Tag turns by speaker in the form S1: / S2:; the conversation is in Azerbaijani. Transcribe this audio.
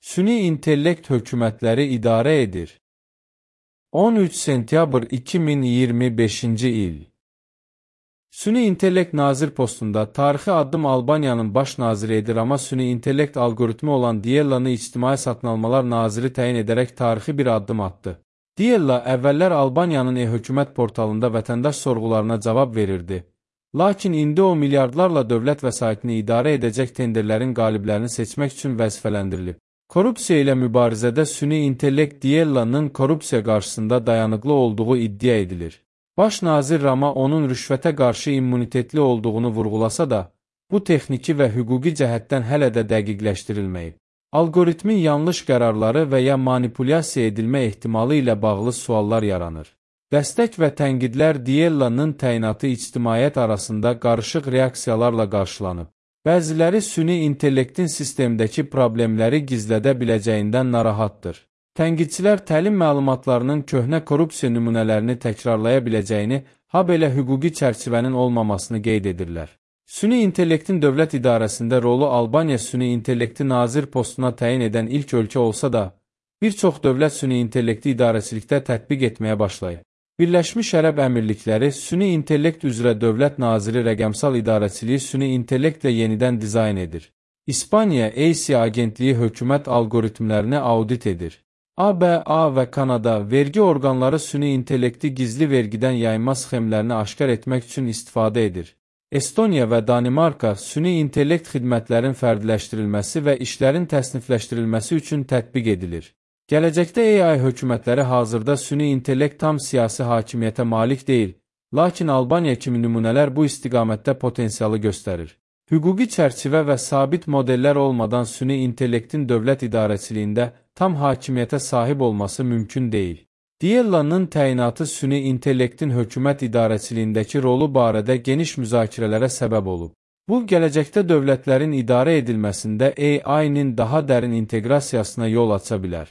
S1: Süni intellekt hökumətləri idarə edir. 13 sentyabr 2025-ci il. Süni intellekt nazir postunda tarixi addım Albaniyanın baş naziri edir, amma süni intellekt algoritmi olan Diellanı ictimai satın almalar naziri təyin edərək tarixi bir addım atdı. Diella əvvəllər Albaniyanın e-hökumət portalında vətəndaş sorğularına cavab verirdi. Lakin indi o milyardlarla dövlət vəsaitini idarə edəcək tenderlərin qaliblərini seçmək üçün vəzifələndirilib. Korrupsiya ilə mübarizədə süni intellekt Diellanın korrupsiya qarşısında dayanıqlı olduğu iddia edilir. Baş nazir Rama onun rüşvətə qarşı immunitetli olduğunu vurğulasa da, bu texniki və hüquqi cəhətdən hələ də dəqiqləşdirilməyib. Algoritmin yanlış qərarları və ya manipulyasiya edilmə ehtimalı ilə bağlı suallar yaranır. Dəstək və tənqidlər Diellanın təyinatı ictimaiyyət arasında qarışıq reaksiyalarla qarşılanıb. Bəziləri süni intellektin sistemdəki problemləri gizlədə biləcəyindən narahatdır. Tənqidçilər təlim məlumatlarının köhnə korrupsiya nümunələrini təkrarlaya biləcəyini, habelə hüquqi çərçivənin olmamasını qeyd edirlər. Süni intellektin dövlət idarəsində rolu Albaniya süni intellekti nazir postuna təyin edən ilk ölkə olsa da, bir çox dövlət süni intellekti idarəçilikdə tətbiq etməyə başlayıb. Birləşmiş Ərəb Əmirlikləri süni intellekt üzrə dövlət naziri rəqəmsal idarəçiliyi süni intellektlə yenidən dizayn edir. İspaniya AC agentliyi hökumət algoritmlərini audit edir. ABA və Kanada vergi orqanları süni intellekti gizli vergidən yayma sxemlərini aşkar etmək üçün istifadə edir. Estoniya və Danimarka süni intellekt xidmətlərin fərdiləşdirilməsi və işlərin təsnifləşdirilməsi üçün tətbiq edilir. Gələcəkdə AI hökumətləri hazırda süni intellekt tam siyasi hakimiyyətə malik deyil, lakin Albaniya kimi nümunələr bu istiqamətdə potensialı göstərir. Hüquqi çərçivə və sabit modellər olmadan süni intellektin dövlət idarəçiliyində tam hakimiyyətə sahib olması mümkün deyil. Diellanın təyinatı süni intellektin hökumət idarəçiliyindəki rolu barədə geniş müzakirələrə səbəb olub. Bu, gələcəkdə dövlətlərin idarə edilməsində AI-nin daha dərin inteqrasiyasına yol aça bilər.